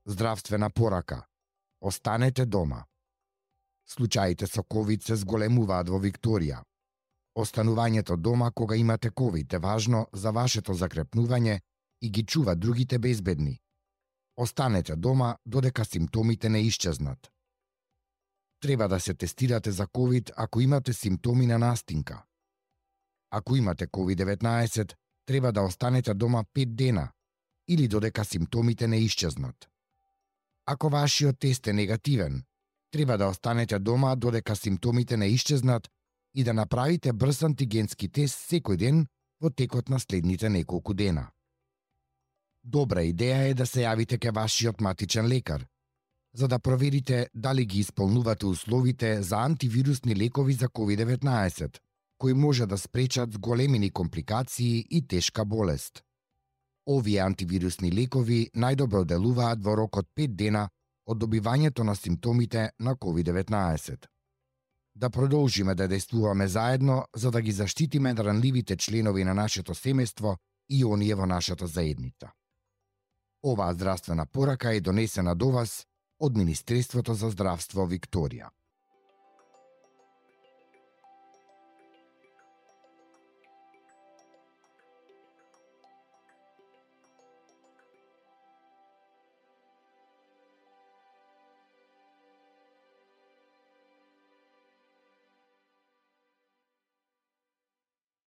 Здравствена порака. Останете дома. Случаите со ковид се зголемуваат во Викторија. Останувањето дома кога имате ковид е важно за вашето закрепнување и ги чува другите безбедни. Останете дома додека симптомите не исчезнат. Треба да се тестирате за ковид ако имате симптоми на настинка. Ако имате COVID-19, треба да останете дома 5 дена или додека симптомите не исчезнат. Ако вашиот тест е негативен, треба да останете дома додека симптомите не исчезнат и да направите брз антигенски тест секој ден во текот на следните неколку дена. Добра идеја е да се јавите ке вашиот матичен лекар, за да проверите дали ги исполнувате условите за антивирусни лекови за COVID-19, кои може да спречат зголемени компликации и тешка болест. Овие антивирусни лекови најдобро делуваат во рок од 5 дена од добивањето на симптомите на COVID-19. Да продолжиме да действуваме заедно за да ги заштитиме ранливите членови на нашето семејство и оние во нашата заедница. Оваа здравствена порака е донесена до вас од Министерството за здравство Викторија.